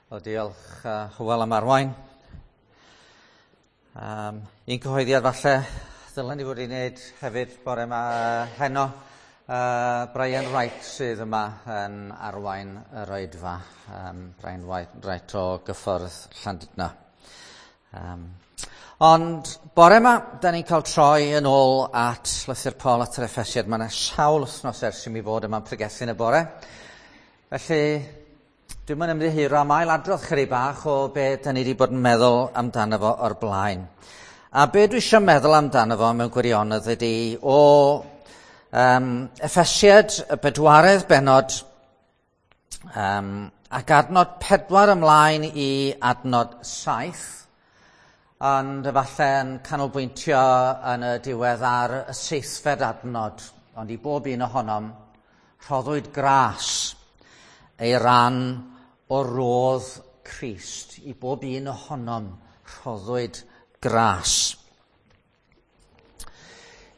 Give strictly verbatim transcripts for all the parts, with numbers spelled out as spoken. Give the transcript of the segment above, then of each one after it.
Wel, diolch uh, Hywel am arwain. Um, un cyhoeddiad falle ddylen ni fod i wneud hefyd bore yma uh, heno. Uh, Brian Wright sydd yma yn arwain yr oedfa. Um, Brian Wright o gyffordd Llandudno. Um, ond bore yma, da ni'n cael troi yn ôl at lythyr Paul at yr Effesiad. Mae yna sawl wythnos ers i mi fod yma'n pregethu yn y bore. Felly, dwi'n mynd ymddiheuro am ailadrodd chydig bach o be da ni wedi bod yn meddwl amdano fo o'r blaen. A be dwi eisiau meddwl amdano fo mewn gwirionedd ydy o um, Effesiad y bedwaredd bennod um, ac adnod pedwar ymlaen i adnod saith, ond efallai yn canolbwyntio yn y diwedd ar y seithfed adnod, ond i bob un ohonom rhoddwyd gras ei ran o rodd Crist. I bob un ohonom rhoddwyd gras.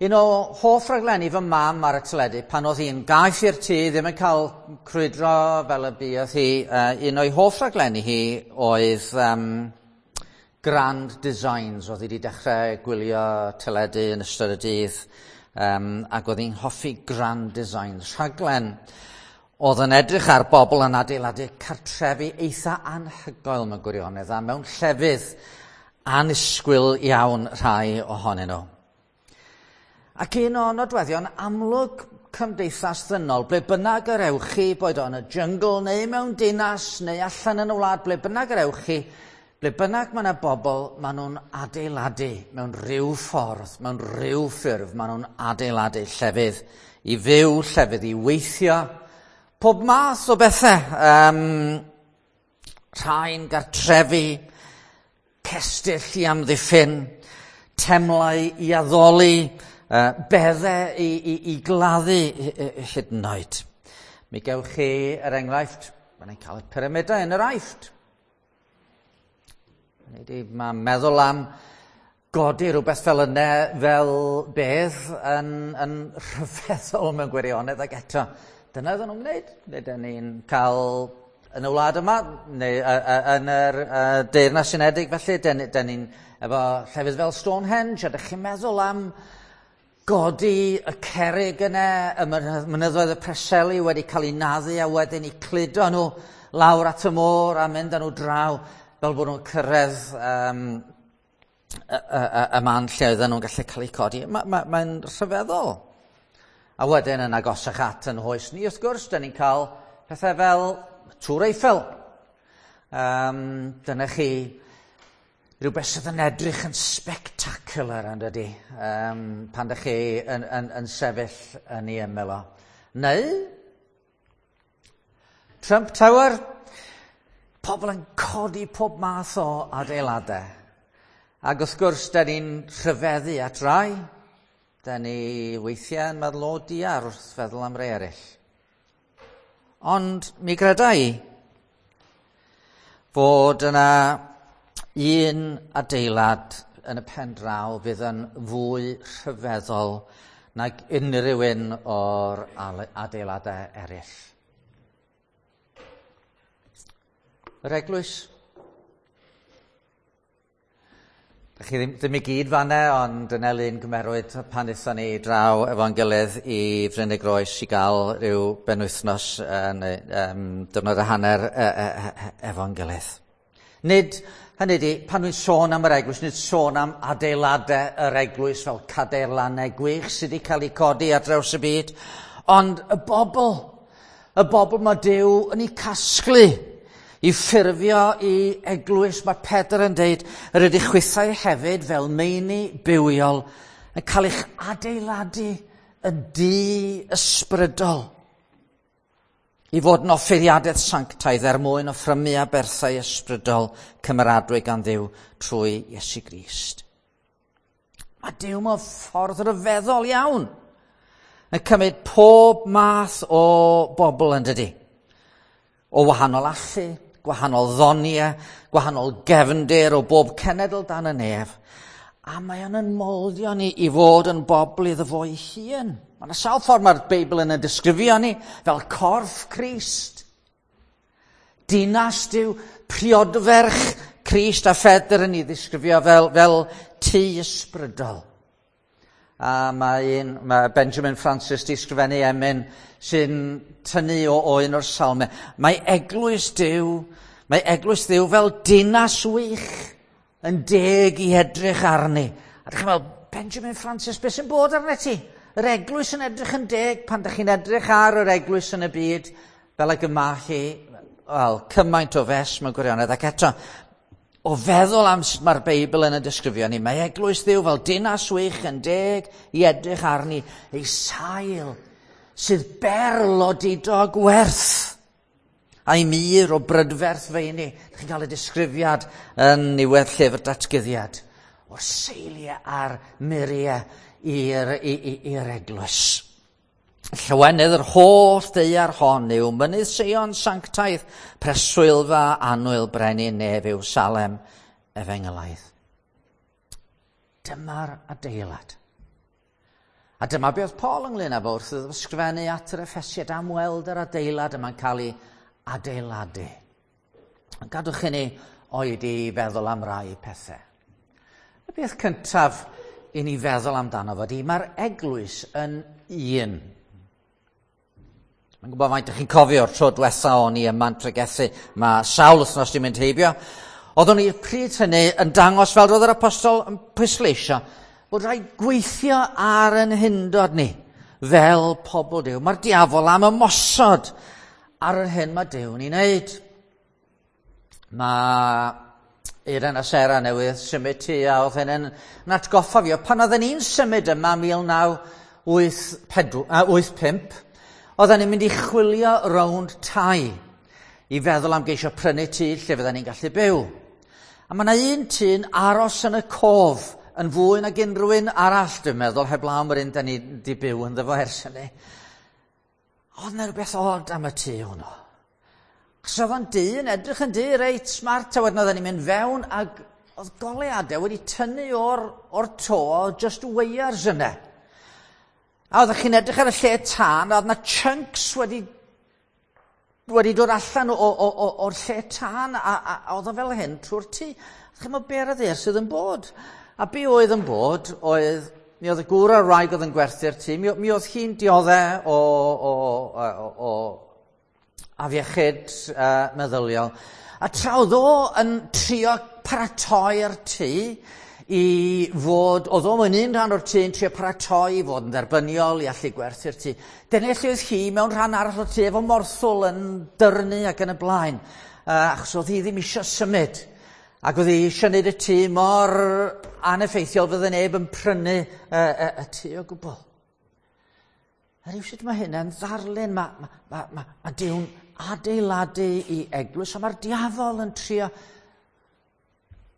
Un o hoff raglenni fy mam ar y teledu pan oedd hi'n gaeth i'r tŷ, ddim yn cael crwydro fel y buodd hi, uh, un o'i hoff raglenni hi oedd um, Grand Designs. Oedd hi wedi dechrau gwylio teledu yn ystod y dydd, um, ac oedd hi'n hoffi Grand Designs. Rhaglen oedd yn edrych ar bobl yn adeiladu cartrefi eitha anhygoel mewn gwirionedd, a mewn llefydd annisgwyl iawn rhai ohonyn nhw. Ac un o nodweddion amlwg cymdeithas ddynol, ble bynnag yr ewch chi, boed o yn y jyngl neu mewn dinas neu allan yn y wlad, ble bynnag yr ewch chi, ble bynnag mae yna bobl, maen nhw'n adeiladu mewn rhyw ffordd, mewn rhyw ffurf, maen nhw'n adeiladu llefydd i fyw, llefydd i weithio, pob math o bethau, um, rhai'n gartrefi, cestyll i amddiffyn, temlau i addoli, uh, beddau i, i, i gladdu hyd yn oed. Mi gewch chi, er enghraifft, mae'n ein cael y pyramidau yn yr Aifft. Mae meddwl am godi rhywbeth fel yna fel bedd yn, yn rhyfeddol mewn gwirionedd, ac eto dyna oedden nhw'n gwneud. Neu dyn ni'n cael yn y wlad yma, neu uh, uh, yn yr uh, Deyrnas Unedig felly, dyn, dyn ni'n efo llefydd fel Stonehenge, a dych chi'n meddwl am godi y cerrig yna, y mynyddoedd y Preseli wedi cael eu naddu a wedyn eu cludo nhw lawr at y môr a mynd â nhw draw fel bod nhw'n cyrraedd um, y, y, y, y man lle oedden nhw'n gallu cael eu codi. Mae'n ma, ma rhyfeddol. A wedyn yn agosach at yn hoes ni, wrth gwrs, dyn ni'n cael pethau fel Tŵr Eiffel. Um, dyna chi rhywbeth sydd yn edrych yn spectacular, yn dydi, um, pan dych chi yn, yn, yn sefyll yn ei ymyl o. Neu Trump Tower, pobl yn codi pob math o adeiladau. Ac wrth gwrs, dyn ni'n rhyfeddu at rai. Dyn ni weithiau yn meddwl o diar wrth feddwl am rai eraill. Ond mi greda i fod yna un adeilad yn y pen draw fydd yn fwy rhyfeddol nag unrhyw un o'r adeiladau eraill. Yr eglwys. Dych chi ddim, ddim i gyd fanna, ond dyna lun gymerwyd pan aethon ni draw efo'n gilydd i Fryn y Groes i gael rhyw benwythnos neu um, diwrnod a hanner e, e, e, efo'n gilydd. Nid, hynny ydi, pan dwi'n sôn am yr eglwys, nid sôn am adeiladau yr eglwys fel cadeirlannau gwych sydd wedi cael eu codi ar draws y byd, ond y bobl, y bobl mae Duw yn eu casglu i ffurfio i eglwys. Mae Pedr yn deud, yr ydych chwithau hefyd fel meini bywiol yn cael eich adeiladu yn dŷ ysbrydol i fod yn offeiriadaeth sanctaidd er mwyn offrymu aberthau ysbrydol cymeradwy gan Dduw trwy Iesu Grist. Mae Duw mewn ffordd ryfeddol iawn yn cymryd pob math o bobl, yn dydi, o wahanol allu, gwahanol ddoniau, gwahanol gefndir o bob cenedl dan y nef. A mae o'n yn moldio ni i fod yn bobl iddo fo ei hun. Mae yna sawl ffordd mae'r Beibl yn y disgrifio ni fel corff Crist. Dinas Duw, priodferch Crist, a Phedr yn ei ddisgrifio fel, fel tŷ ysbrydol. A mae, un, mae Benjamin Francis di sgrifennu emyn sy'n tynnu o, o un o'r salmau. Mae eglwys Duw, mae eglwys Dduw fel dinas wych yn deg i edrych arni. A dych chi'n meddwl, Benjamin Francis, beth sy'n bod arna ti? Yr eglwys yn edrych yn deg pan dych chi'n edrych ar yr eglwys yn y byd, fel ag yma chi, wel, cymaint o fes mewn gwirionedd. Ac eto, o feddwl am sut mae'r Beibl yn y disgrifio ni, mae eglwys Dduw fel dinas wych yn deg i edrych arni, ei sail sydd berl o didog werth, a'i mur o brydferth feini. Dych chi'n cael y disgrifiad yn niwedd llyfr Datguddiad o'r seiliau a'r muriau i'r, i'r eglwys. Llywenydd yr holl ddaear hon yw mynydd Seion sanctaidd, preswylfa annwyl brenin nef yw Salem efengylaidd. Dyma'r adeilad. A dyma be oedd Paul ynglyn â fo wrth iddo ysgrifennu at yr Effesiaid am weld yr adeilad yma'n cael ei adeiladu. Gadwch i ni oedi i feddwl am rai pethau. Y peth cyntaf i ni feddwl amdano fo di, mae'r eglwys yn un. Mae'n gwybod faint ydych chi'n cofio o'r tro diwetha o'n i yma'n pregethu. Mae sawl wythnos di mynd heibio. Oeddwn i pryd hynny yn dangos fel roedd yr apostol yn pwysleisio bod rhaid gweithio ar yn hundod ni fel pobl Duw. Mae'r diafol am ymosod ar yr hyn mae Duw'n ei wneud. Mae Eiren a Sera newydd symud ti a oedd hyn yn atgoffa fi o pan oedden ni'n symud yma mil naw wyth pump, oedden ni'n mynd i chwilio rownd tai i feddwl am geisio prynu tŷ lle fydden ni'n gallu byw. A mae yna un tŷ'n aros yn y cof yn fwy nag unrhyw un arall, dwi'n meddwl, heblaw am yr un da ni di byw ynddo fo ers hynny. Oedd yna rhywbeth od am y tŷ hwnnw. Achos oedd o'n dŷ yn edrych yn dŷ reit smart, a wedyn oedden ni'n mynd fewn ac oedd goleuadau wedi tynnu o'r, o'r to, just wires yna. A oeddech chi'n edrych ar y lle tân, a oedd yna chunks wedi, wedi dod allan o, o, o, o'r lle tân, a, a, a oedd o fel hyn trwy'r tŷ. Chi'n meddwl be ar y ddaear sydd yn bod? A be oedd yn bod oedd, mi oedd y gŵr a'r wraig oedd yn gwerthu'r tŷ, mi, mi oedd hi'n dioddau o, o, o, o afiechyd uh, meddyliol. A tra oedd o yn trio paratoi'r tŷ i fod, oedd o mewn un rhan o'r tŷ yn trio paratoi i fod yn dderbyniol i allu gwerthu'r tŷ. Dyna lle oedd hi mewn rhan arall o'r tŷ efo morthwl yn dyrnu ac yn y blaen, uh, achos oedd hi ddim eisiau symud. Ac oedd hi eisiau gwneud y tŷ mor aneffeithiol fydde neb yn prynu y, y, y tŷ o gwbl. A rhywsut mae hynna'n ddarlun, mae, mae, mae, mae, mae Duw'n adeiladu i eglwys, a mae'r diafol yn trio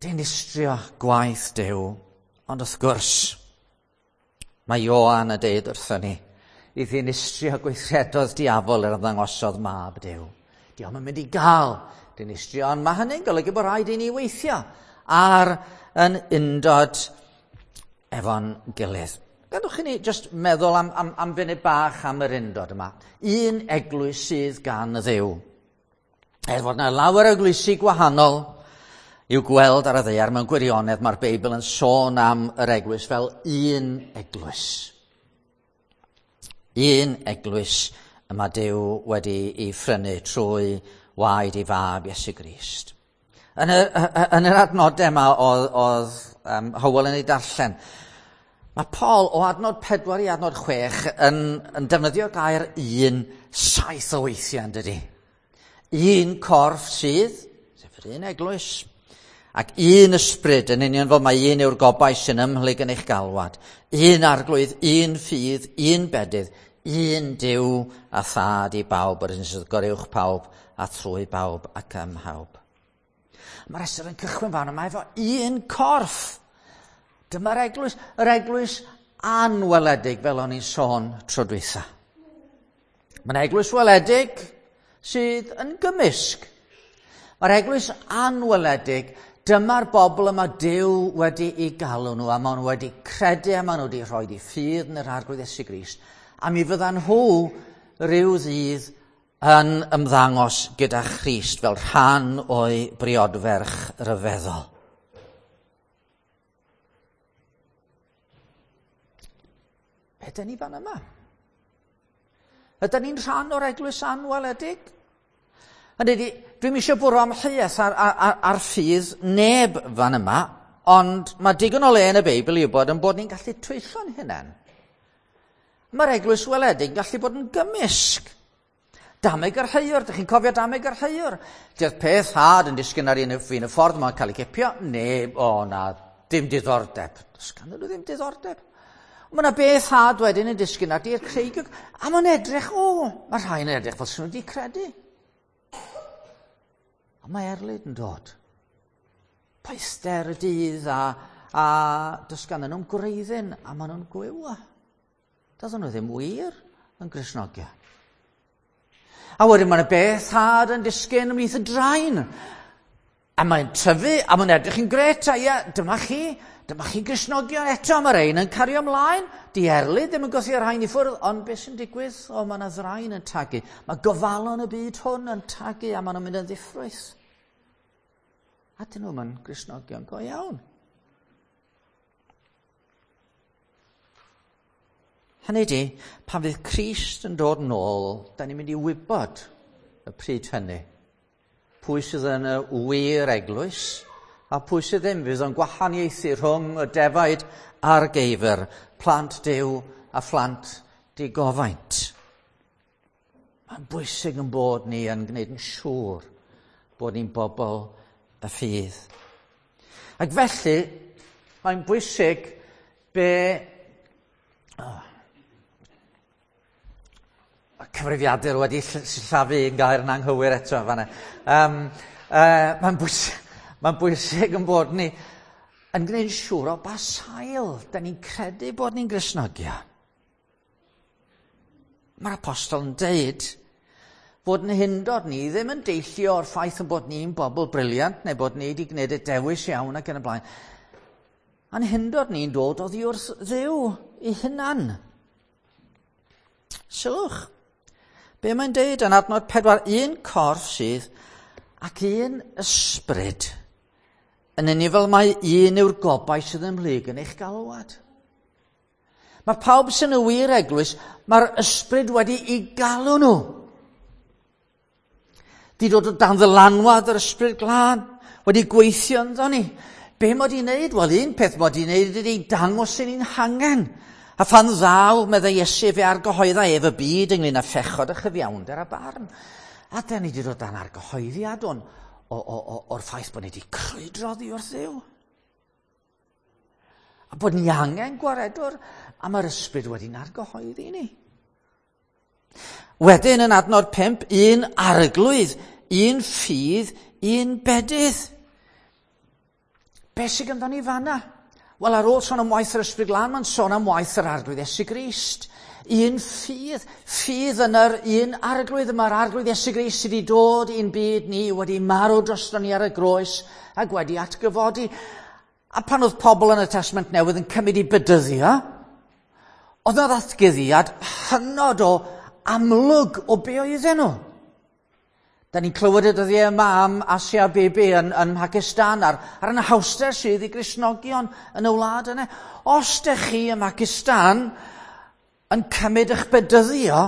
dinistrio gwaith Duw. Ond wrth gwrs, mae Ioan yn deud wrthon ni i ddinistrio gweithredoedd diafol yr ymddangosodd mab Duw. Dio'm yn mynd i gael dinistrio, ond mae hynny'n golygu bod rhaid i ni weithio ar yn undod efo'n gilydd. Gadwch i ni just meddwl am, am, am funud bach am yr undod yma. Un eglwys sydd gan y Dduw. Er fod yna lawer o eglwysi gwahanol i'w gweld ar y ddaear, mewn gwirionedd mae'r Beibl yn sôn am yr eglwys fel un eglwys. Un eglwys y mae Duw wedi ei phrynu trwy waed ei fab Iesu Grist. Yn yr, yn yr adnodau yma oedd, oedd um, Hywel yn ei darllen, mae Paul o adnod pedwar i adnod chwech yn, yn defnyddio gair un saith o weithiau, yn dydi? Un corff sydd, sef yr un eglwys, ac un ysbryd yn union fel mae un yw'r gobaith sy'n ymhlyg yn eich galwad. Un arglwydd, un ffydd, un bedydd, un Duw a thad i bawb, yr un sydd goruwch pawb a trwy bawb ac ym mhawb. Mae'r rhestr yn cychwyn fan yma efo un corff. Dyma'r eglwys, yr eglwys anweledig fel o'n i'n sôn tro dwytha. Mae'n eglwys weledig sydd yn gymysg. Mae'r eglwys anweledig, dyma'r bobl yma Duw wedi ei galw nhw, a maen nhw wedi credu a maen nhw wedi rhoi eu ffydd yn yr Arglwydd Iesu Grist. A mi fyddan nhw rhyw ddydd yn ymddangos gyda Christ fel rhan o'i briodferch ryfeddol. Be ydyn ni fan yma? Ydyn ni'n rhan o'r eglwys anweledig? Hynny ydi, dwi'm eisiau bwrw amheuaeth ar, ar, ar, ar ffydd neb fan yma, ond mae digon o le yn y Beibl i wybod yn bod ni'n gallu twyllo'n hunain. Mae'r eglwys weledig yn gallu bod yn gymysg. Dameg yr heiwr, dych chi'n cofio dameg yr heiwr? Dydd peth had yn disgyn ar un y ffordd, mae'n cael ei gipio. Neb, o na, dim diddordeb. Does ganddyn nhw ddim diddordeb. Mae yna beth had wedyn yn disgyn ar dir creigiog, a mae'n edrych, o, mae rhai yn edrych fel sy'n nhw wedi credu. A mae erlid yn dod. Poethder y dydd a, a does ganddyn nhw'n gwreiddyn a maen nhw'n gwywa. Doedden nhw ddim wir yn Gristnogion. A wedyn mae yna beth had yn disgyn ymhlith y draen. A mae'n tyfu, a mae'n edrych yn gret, a ia, dyma chi, dyma chi Gristnogion eto, mae'r ein yn cario ymlaen. Di erlid ddim yn gwthio'r rhain i ffwrdd, ond beth sy'n digwydd? O, mae yna ddraen yn tagu. Mae gofalon y byd hwn yn tagu, a maen nhw'n mynd yn ddiffrwyth. A dyn nhw'n mynd Gristnogion go iawn. Hynny ydi, pan fydd Crist yn dod nôl, da ni'n mynd i wybod y pryd hynny. Pwy sydd yn y wir eglwys, a pwy sydd ddim, fydd o'n gwahaniaethu rhwng y defaid a'r geifr, plant Duw a phlant digofaint. Mae'n bwysig yn bod ni yn gwneud yn siŵr bod ni'n bobl y ffydd. Ac felly, mae'n bwysig be... Oh, cyfrifiadur wedi sillafu un gair yn anghywir eto fanna. Um, uh, mae'n bwysig, mae'n bwysig yn bod ni yn gwneud yn siŵr o ba sail da ni'n credu bod ni'n Gristnogion. Mae'r apostol yn deud fod yn hindod ni ddim yn deillio o'r ffaith yn bod ni'n bobl briliant neu bod ni wedi gwneud y dewis iawn ac yn y blaen. A'n hindod ni'n dod oddi wrth Dduw ei hunan. Sylwch, be mae'n deud yn adnod pedwar, un corff sydd ac un ysbryd. Yn union fel mae un yw'r gobaith sydd ymhlyg yn eich galwad. Mae pawb sy'n y wir eglwys, mae'r ysbryd wedi i galw nhw. Di dod o dan ddylanwad yr ysbryd glân, wedi gweithio ynddo ni. Be mod i'n neud? Wel, un peth mod i'n neud ydy dangos i ni'n hangen. A phan ddaw, meddai Iesu, fe argyhoedda ef y byd ynglyn â phechod a chyfiawnder a barn. A da ni wedi dod dan argyhoeddiad o'n, o, o, o, o'r ffaith bod ni wedi crwydro oddi wrth Dduw. A bod ni angen gwaredwr, a mae'r ysbryd wedi'n argyhoeddi ni. Wedyn yn adnod pump, un arglwydd, un ffydd, un bedydd. Be sydd ganddo ni fanna? Wel, ar ôl sôn am waith yr ysbryd glân, mae'n sôn am waith yr arglwydd Iesu Grist. Un ffydd, ffydd yn yr un arglwydd. Mae'r arglwydd Iesu Grist sydd wedi dod i'n byd ni, wedi marw drosto ni ar y groes ac wedi atgyfodi. A pan oedd pobl yn y Testament Newydd yn cymryd i bedyddio, oedd yna ddatguddiad hynod o amlwg o be oedden nhw. Da ni'n clywed y dyddiau yma am Asia Bibi yn, yn Pakistan a'r, a'r anhawster sydd i Gristnogion yn y wlad yna. Os dych chi ym Mhakistan yn cymryd eich bedyddio,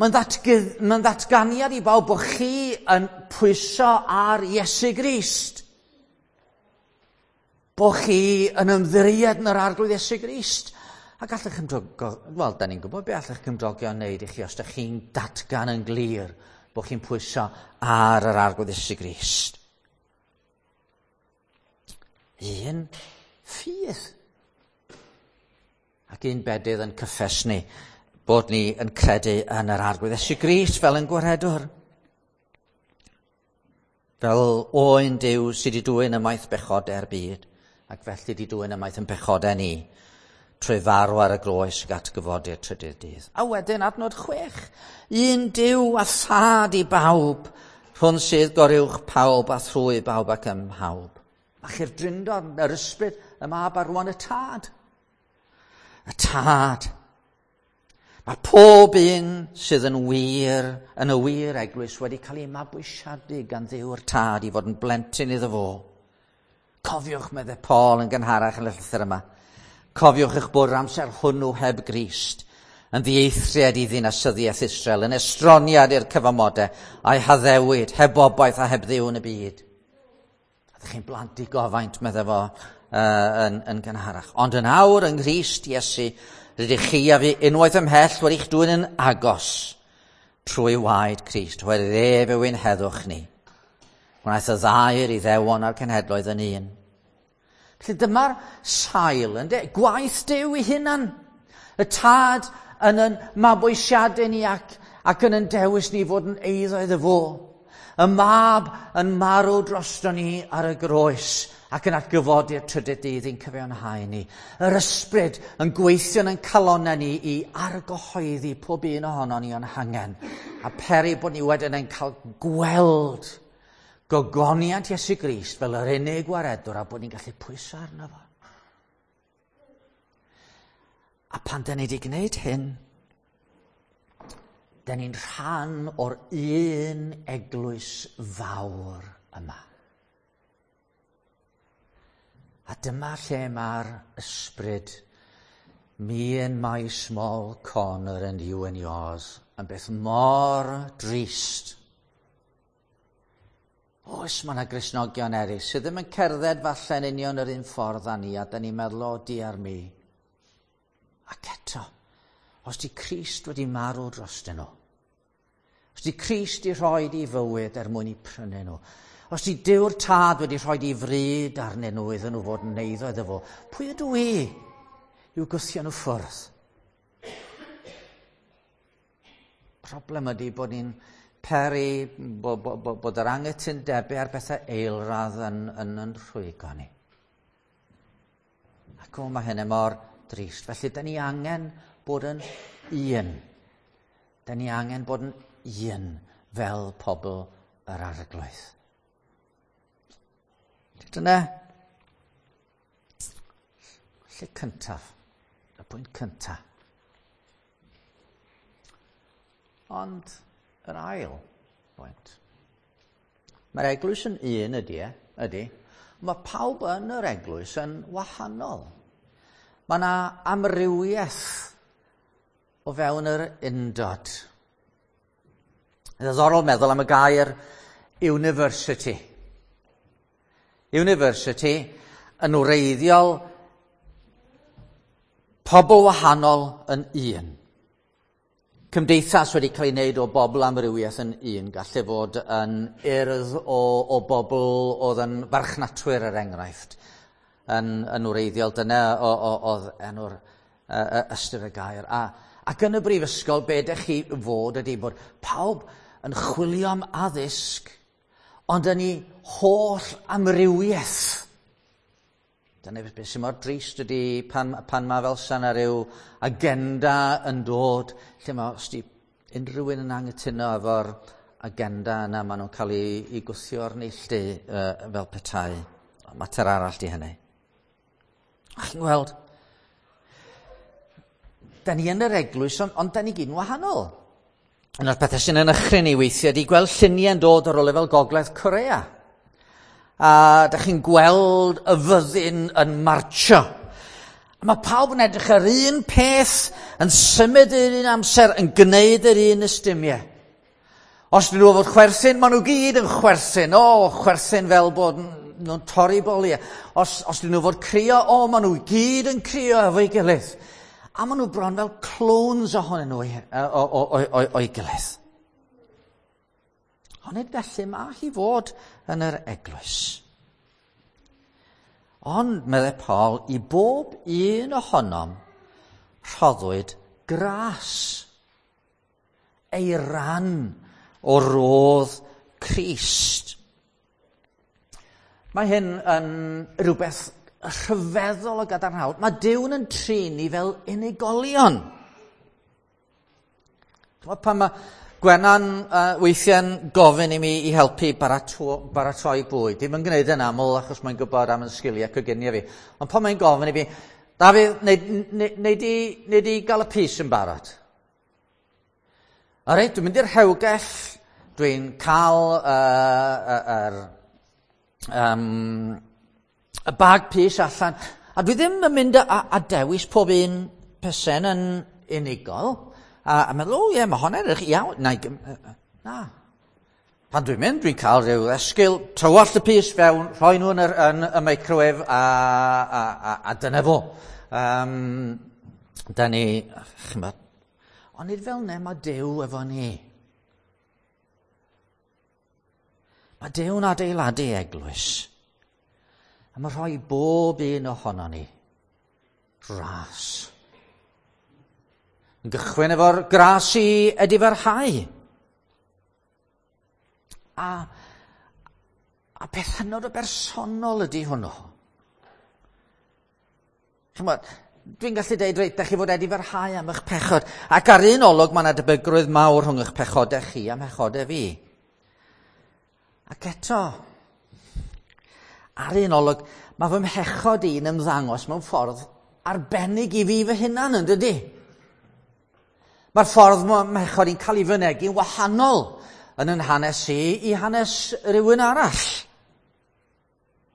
mae'n ddatg- mae'n ddatganiad i bawb bod chi yn pwyso ar Iesu Grist. Bod chi yn ymddiried yn yr arglwydd Iesu Grist. A gallech cymdogion, wel, da ni'n gwybod be allech cymdogion wneud i chi os dych chi'n datgan yn glir bod chi'n pwyso ar yr arglwydd Iesu Grist. Un ffydd. Ac un bedydd yn cyffes ni bod ni yn credu yn yr arglwydd Iesu Grist fel yn gwaredwr. Fel oen Duw sydd wedi dwyn ymaith bechodau'r byd, ac felly wedi dwyn ymaith yn pechodau ni, trwy farw ar y groes ac atgyfodi'r trydydd dydd. A wedyn adnod chwech, un Duw a thad i bawb, rhwng sydd goruwch pawb a thrwy bawb ac ym mhawb. A chi'r drindod, yr ysbryd, y mab a rwan y tad. Y tad. Mae pob un sydd yn wir, yn y wir eglwys, wedi cael ei mabwysiadu gan Dduw'r Tad i fod yn blentyn iddo fo. Cofiwch, meddai Paul yn gynharach yn y llythyr yma, cofiwch eich bod yr amser hwnnw heb Grist, yn ddieithriad i ddinasyddiaeth Israel, yn estroniad i'r cyfamodau, a'i haddewid, heb obaith a heb Dduw yn y byd. Ydych chi'n blant i gofaint, meddai fo, uh, yn, yn gynharach. Ond yn awr yng Nghrist Iesu, rydych chi a fi unwaith ymhell wedi'ch dwyn yn agos trwy waed Crist, oherwydd ef yw ein heddwch ni. Gwnaeth y ddau'r Iddewon a'r cenhedloedd yn un. Felly dyma'r sail, ynde? Gwaith Duw ei hunan. Y Tad yn yn mabwysiadu ni ac, ac yn yn dewis ni fod yn eiddo iddo fo. Y Mab yn marw drosto ni ar y groes ac yn atgyfodi'r trydydd dydd i'n cyfiawnhau ni. Yr Ysbryd yn gweithio yn calonnau ni i argyhoeddi pob un ohono ni o'n hangen. A peri bod ni wedyn yn cael gweld gogoniant Iesu Grist fel yr unig waredwr a bod ni'n gallu pwyso arno fo. A pan da ni wedi gwneud hyn, da ni'n rhan o'r un eglwys fawr yma. A dyma lle mae'r ysbryd, me and my small corner and you and yours, yn beth mor drist. Oes, mae yna Gristnogion eraill sydd ddim yn cerdded falle'n union yr un ffordd â ni, a da ni'n meddwl, o, diar mi. Ac eto, os di Crist wedi marw drostyn nhw, os di Crist i rhoi i fywyd er mwyn i prynu nhw, os di Duw'r Tad wedi rhoi i fryd arnyn nhw iddyn nhw fod yn eiddo iddo fo, pwy ydw i i'w gwthio nhw ffwrdd? Problem ydy bod ni'n peri bo, bo, bo, bod yr anghytundebau ar bethau eilradd yn, yn, yn rhwygo ni. Ac o, mae hynny mor drist. Felly, da ni angen bod yn un. Da ni angen bod yn un fel pobl yr Arglwydd. Dyna lle cyntaf, y pwynt cyntaf. Ond yr ail bwynt. Mae'r eglwys yn un ydy, e, ydy. Mae pawb yn yr eglwys yn wahanol. Mae yna amrywiaeth o fewn yr undod. Ddiddorol meddwl am y gair university. University yn wreiddiol pobl wahanol yn un. Cymdeithas wedi cael ei wneud o bobl amrywiaeth yn un. Gallu fod yn urdd o, o bobl oedd yn farchnatwyr er enghraifft. Yn, yn wreiddiol, dyna oedd enw'r uh, ystyr y gair. A, ac yn y brifysgol, be ydych chi fod ydy bod pawb yn chwilio am addysg, ond yn ei holl amrywiaeth. Dyna beth sy'n mor drist ydy pan, pan mae fel sa'n rhyw agenda yn dod, lle mae os di unrhyw un yn anghytuno efo'r agenda yna, maen nhw'n cael ei, ei gwthio o'r neilltu uh, fel petai. Mater arall di hynny. A chi'n gweld, da ni yn yr eglwys, ond, ond da ni gyd yn wahanol. Un o'r pethau sy'n yn ychryn ni weithiau ydy gweld lluniau'n dod ar ôl fel Gogledd Corea. A da chi'n gweld y fyddin yn martio. A mae pawb yn edrych ar un peth, yn symud yr un amser, yn gwneud yr un ystumiau. Os dyn nhw fod chwerthin, maen nhw gyd yn chwerthin. O, chwerthin fel bod nhw'n torri boliau. Os, os dyn nhw fod crio, o, maen nhw gyd yn crio efo'i gilydd. A maen nhw bron fel clones ohonyn nhw o'i gilydd. Ond nid felly mae hi fod yn yr eglwys. Ond, meddai Paul, i bob un ohonom rhoddwyd gras, ei ran o rodd Crist. Mae hyn yn rhywbeth rhyfeddol o gadarnhaol. Mae Duw'n yn trin ni fel unigolion. Pan mae Gwenan uh, weithiau'n gofyn i mi i helpu barato, baratoi bwyd. Dim yn gwneud yn aml achos mae'n gwybod am yn sgiliau coginio fi. Ond pan mae'n gofyn i fi, Dafydd, neu, neu, neu, di, neu di gael y pys yn barod? A reit, dwi'n mynd i'r rhewgell, dwi'n cael uh, yr, um, y bag pys allan, a dwi ddim yn mynd a, a dewis pob un pysen yn unigol, a, a meddwl, o ie, mae hon edrych iawn. Na, na. Pan dwi'n mynd, dwi'n cael rhyw esgil, tywallt y pys fewn, rhoi nhw yn, yr, yn y microwave, a, a, a, a dyna fo. Um, da ni, chymod, ond nid fel 'na mae Duw efo ni. Mae Duw'n adeiladu eglwys. A mae rhoi bob un ohono ni ras. Yn gychwyn efo'r gras i edifarhau. A, a peth hynod o bersonol ydy hwnnw. Chymod, dwi'n gallu deud, reit, da chi fod edifarhau am eich pechod. Ac ar un olwg mae yna debygrwydd mawr rhwng eich pechodau chi a mhechodau fi. Ac eto, ar un olwg, mae fy mhechod i'n ymddangos mewn ffordd arbennig i fi fy hunan, yn dydy? Mae'r ffordd mae mhechod i'n cael ei fynegi'n wahanol yn yn hanes i i hanes rhywun arall.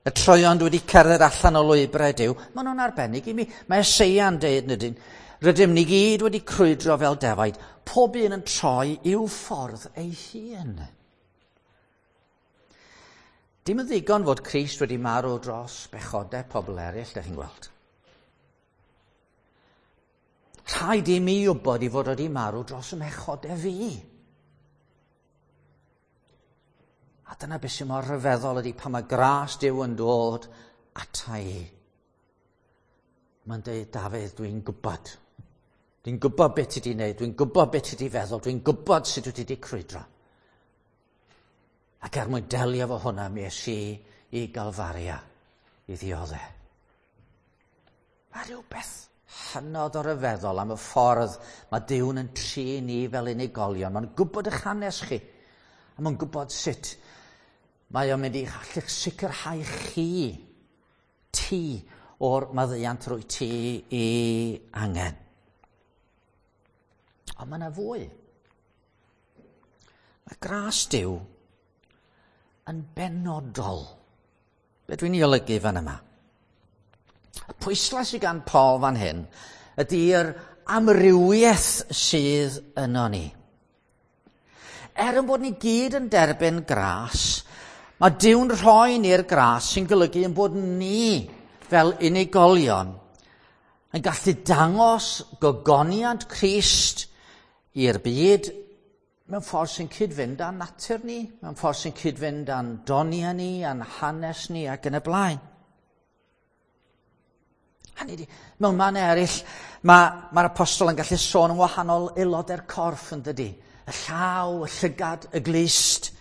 Y troion dwi wedi cerdded allan o lwybrau Duw, maen nhw'n arbennig i mi. Mae Eseia'n deud, nydyn, rydym ni gyd wedi crwydro fel defaid, pob un yn troi i'w ffordd ei hun. Dim yn ddigon fod Crist wedi marw dros bechodau pobl eraill, da chi'n gweld. Rhaid i mi wybod i fod wedi marw dros y mhechodau fi. A dyna beth sy'n mor rhyfeddol ydy pan mae gras Duw yn dod ata i. Mae'n dweud, Dafydd, dwi'n gwybod. Dwi'n gwybod beth ti wedi wneud, dwi'n gwybod beth ti wedi feddwl, dwi'n gwybod sut wyt ti wedi crwydro. Ac er mwyn delio efo hwnna, mi es i i Galfaria i ddioddef. Mae rhywbeth hynod o ryfeddol am y ffordd mae Duw'n yn trin ni fel unigolion. Mae'n gwybod eich hanes chi. A mae'n gwybod sut mae o'n mynd i allu'ch sicrhau chi, ti, o'r maddeuant rwy ti i angen. Ond mae yna fwy. Mae gras Duw yn benodol. Be dwi'n ei olygu fan yma? Y pwyslais sydd gan Paul fan hyn ydy'r amrywiaeth sydd yno ni. Er yn bod ni gyd yn derbyn gras, mae Duw'n rhoi ni'r gras sy'n golygu yn bod ni fel unigolion yn gallu dangos gogoniant Crist i'r byd mewn ffordd sy'n cyd-fynd â'n natur ni, mewn ffordd sy'n cyd-fynd â'n doniau ni, â'n hanes ni ac yn y blaen. Hynny ydi, mewn man eraill, mae'r ma apostol yn gallu sôn yn wahanol aelodau'r corff yn dydy. Y llaw, y llygad, y glust.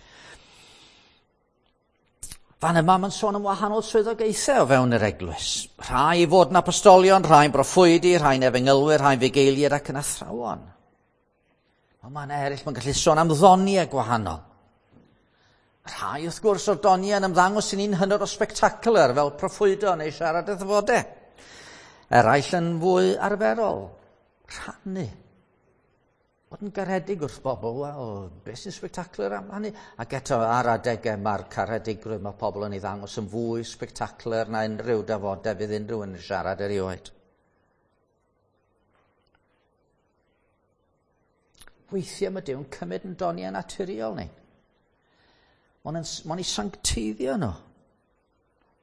Fan yma mae'n sôn am wahanol swyddogaethau o fewn yr eglwys. Rhai i fod yn apostolion, rhai'n broffwydi, rhai'n efengylwyr, rhai'n fugeiliaid ac yn athrawon. Ond man eraill mae'n gallu sôn am ddoniau gwahanol. Rhai wrth gwrs o'r doniau yn ymddangos i ni'n hynod o spectacular fel proffwydo neu siarad y ddyfodau. Eraill yn fwy arferol, rhannu. Bod yn garedig wrth bobl, wel, beth sy'n spectacular am hynny? Ac eto ar adegau mae'r caredigrwydd mae pobl yn ei ddangos yn fwy spectacular na unrhyw dafodau fydd unrhyw yn siarad erioed. Weithiau mae Duw'n cymryd yn doniau naturiol ni. Mae'n ei sancteiddio nhw.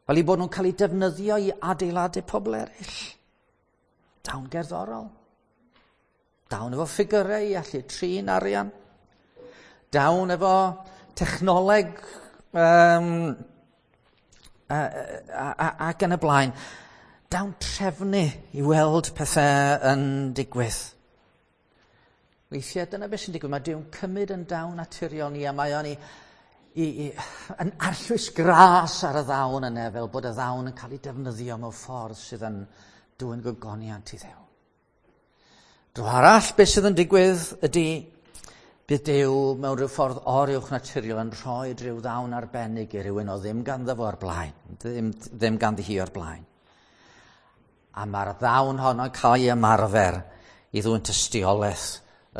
Fel i bod nhw'n cael eu defnyddio i adeiladu pobl eraill. Dawn gerddorol. Dawn efo ffigurau i allu trin arian. Dawn efo technoleg um, a, a, a, ac yn y blaen. Dawn trefnu i weld pethau yn digwydd. Weithiau dyna beth sy'n digwydd. Mae Duw'n cymryd yn dawn naturiol ni a mae o'n i, i, i, yn arllwys gras ar y ddawn yna fel bod y ddawn yn cael ei defnyddio mewn ffordd sydd yn dwyn gogoniant i Dduw. Dro arall, beth sydd yn digwydd ydy bydd Duw mewn rhyw ffordd oruwch naturiol yn rhoi rhyw ddawn arbennig i rywun o ddim ganddo fo o'r blaen, ddim, ddim ganddi hi o'r blaen. A mae'r ddawn honno'n cael ei ymarfer i ddwyn tystiolaeth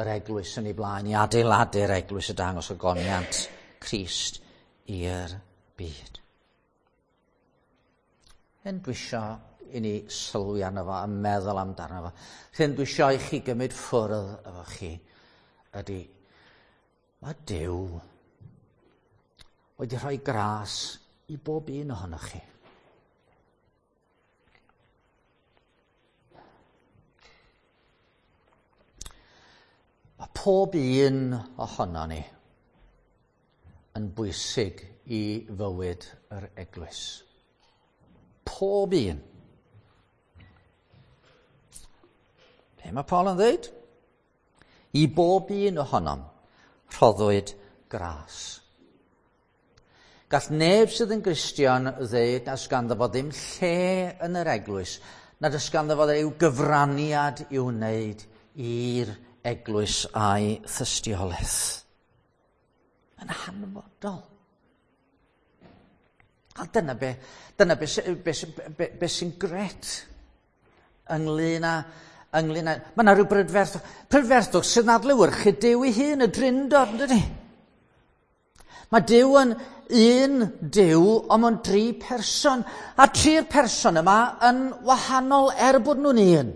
yr eglwys yn ei blaen, i adeiladu'r eglwys y dangos ogoniant Crist i'r byd. Hyn dwi isio i ni sylwi arno fo a meddwl amdano fo. Hyn dwi isio i chi gymryd ffwrdd efo chi ydy, mae Duw wedi rhoi gras i bob un ohonoch chi. Mae pob un ohono ni yn bwysig i fywyd yr eglwys. Pob un. Be mae Paul yn dweud? I bob un ohonom rhoddwyd gras. Gall neb sydd yn Gristion ddeud nas ganddo fo ddim lle yn yr eglwys, nad oes ganddo fo ryw gyfraniad i'w wneud i'r eglwys a'i thystiolaeth. Yn hanfodol. A dyna be, dyna be, be, be, be sy'n gret ynglyn â, ynglyn â, mae yna rhyw brydferthwch, prydferthwch sydd yn adlewyrchu Duw ei hun, y Drindod, yn dydi? Mae Duw yn un Duw, ond mae'n dri person, a tri'r person yma yn wahanol er bod nhw'n un.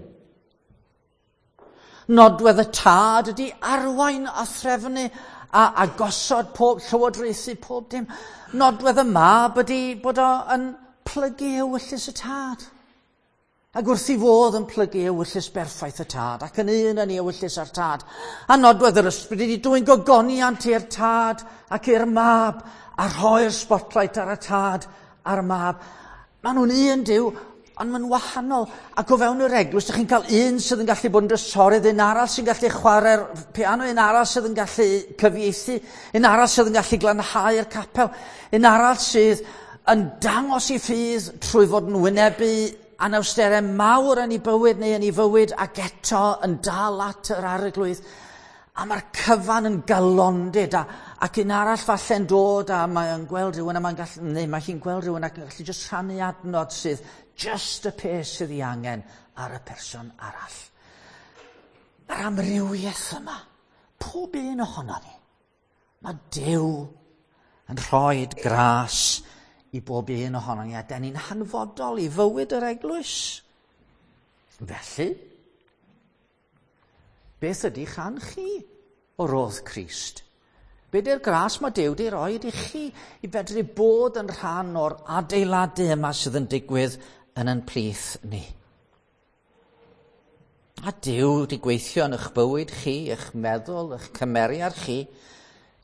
Nodwedd y Tad ydy arwain a threfnu a, a gosod pob, llywodraethu pob dim. Nodwedd y Mab ydy bod o yn plygu ewyllys y Tad. Ac wrth i fod yn plygu ewyllys berffaith y Tad, ac yn un yn ei ewyllys â'r Tad. A nodwedd yr Ysbryd ydy dwyn gogoniant i'r Tad ac i'r Mab, a rhoi'r spotlight ar y Tad a'r Mab. Maen nhw'n un Duw, ond maen wahanol. Ac o fewn yr eglwys, ydych chi'n cael un sydd yn gallu bod yn drysorydd, un arall sy'n gallu chwarae'r piano, un arall sydd yn gallu cyfieithu, un arall sydd yn gallu glanhau'r capel, un arall sydd yn dangos ei ffydd trwy fod yn wynebu anawsterau mawr yn ei bywyd neu yn ei fywyd, ac eto yn dal at yr Arglwydd. A mae'r cyfan yn galondid, a, ac un arall falle'n dod a mae'n gweld rhywun, a mae'n gallu, neu mae hi'n gweld rhywun ac yn gallu jyst rhannu adnod sydd just y peth sydd ei angen ar y person arall. Mae'r amrywiaeth yma, pob un ohono ni, mae Duw yn rhoi gras i bob un ohono ni, a dan ni'n hanfodol i fywyd yr eglwys. Felly, beth ydy chan chi o rodd Crist? Be di'r gras mae Duw wedi rhoi i chi i fedru bod yn rhan o'r adeiladu yma sydd yn digwydd yn yn plith ni? A Duw wedi gweithio yn eich bywyd chi, eich meddwl, eich cymeriad chi,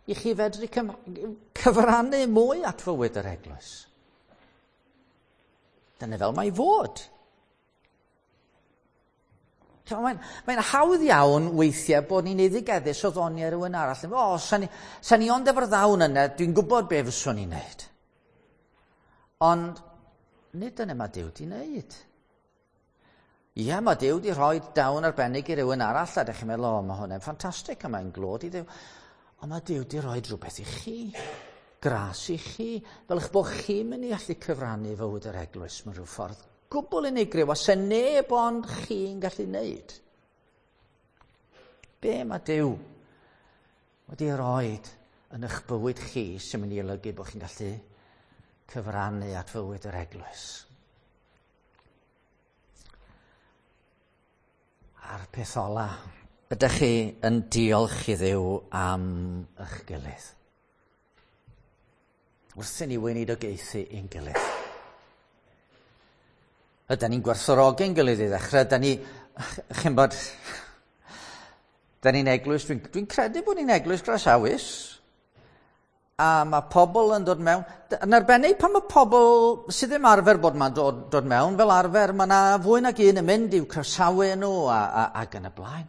i chi fedru cyfrannu mwy at fywyd yr eglwys. Dyna fel mae fod. Mae'n mae hawdd iawn weithiau bod ni'n eiddigeddus o ddoniau rhywun arall. O, sa ni, sa ni ond efo'r ddawn yna, dwi'n gwybod be fyswn i'n neud. Ond nid dyna mae Duw wedi wneud. Ie, mae Duw wedi rhoi dawn arbennig i rywun arall, a dych chi'n meddwl, o, mae hwnna'n ffantastig, a mae'n glod i Dduw. Ond mae Duw wedi rhoi rhywbeth i chi, gras i chi, fel eich bod chi'n mynd i allu cyfrannu fywyd yr eglwys mewn rhyw ffordd gwbl unigryw, a se neb ond chi'n gallu wneud. Be mae Duw wedi rhoi yn eich bywyd chi sy'n mynd i olygu bod chi'n gallu cyfrannu at fywyd yr eglwys? A'r peth ola, ydych chi yn diolch i Dduw am eich gilydd? Wrth i ni weinidogaethu ein gilydd. Ydan ni'n gwerthfawrogi'n gilydd i ddechrau, ydan ni, chi'n bod, da ni'n eglwys, dwi'n dwi credu bod ni'n eglwys groesawus, a mae pobl yn dod mewn, yn arbennig pan mae pobl sydd ddim arfer bod ma'n dod, dod mewn, fel arfer mae yna fwy nag un yn mynd i'w croesawu nhw a, a, ac yn y blaen.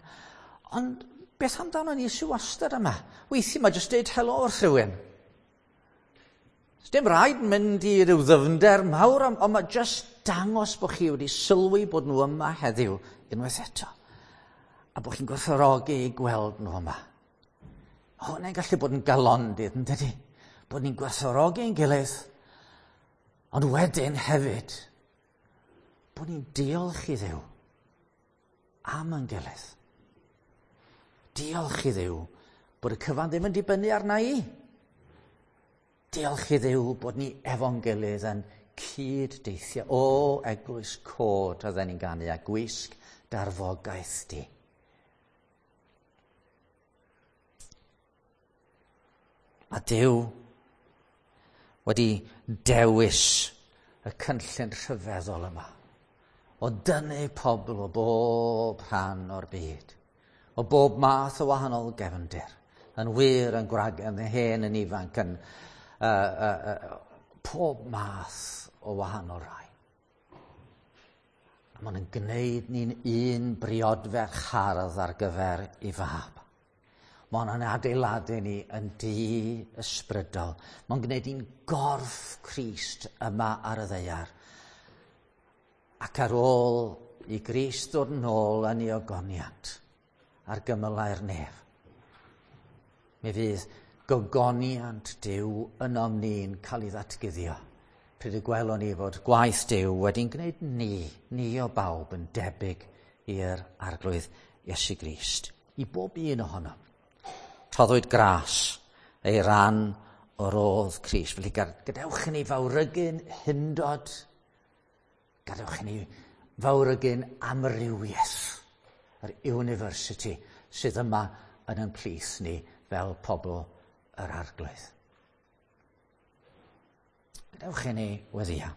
Ond beth amdano ni sy'n wastad yma? Weithiau mae jyst deud helo wrth rhywun. Dim rhaid mynd i ryw ddyfnder mawr, ond mae jyst dangos bod chi wedi sylwi bod nhw yma heddiw unwaith eto. A bod chi'n gwerthfawrogi i gweld nhw yma. Hwnna'n gallu bod yn galondid, yn dydi? Bod ni'n gwerthfawrogi ein gilydd, ond wedyn hefyd, bod ni'n diolch i Dduw am ein gilydd. Diolch i Dduw bod y cyfan ddim yn dibynnu arna i. Diolch i Dduw bod ni efo'n gilydd yn cyd-deithio. O, eglwys cod oedden ni'n ganu a gwisg darfogaeth di. A Duw wedi dewis y cynllun rhyfeddol yma o dynnu pobl o bob rhan o'r byd, o bob math o wahanol gefndir, yn wir, yn gwrag, yn hen, yn ifanc, yn uh, uh, uh, pob math o wahanol rai. A maen nhw'n gwneud ni'n un briodferch hardd ar gyfer ei fab. Mae hwnna'n adeiladu ni yn dŷ ysbrydol. Mae'n gwneud ni'n gorff Crist yma ar y ddaear. Ac ar ôl i Grist ddod nôl yn ei ogoniant ar gymylau'r nef, mi fydd gogoniant Duw ynom ni'n cael ei ddatguddio. Pryd y gwelwn ni fod gwaith Duw wedi'n gwneud ni, ni o bawb yn debyg i'r Arglwydd Iesu Grist. I bob un ohonom. Rhoddwyd gras ei ran o rodd Crist. Felly gadewch i ni fawrygu'n hundod, gadewch i ni fawrygu'n amrywiaeth yr university sydd yma yn ein plith ni fel pobl yr Arglwydd. Gadewch i ni weddïo.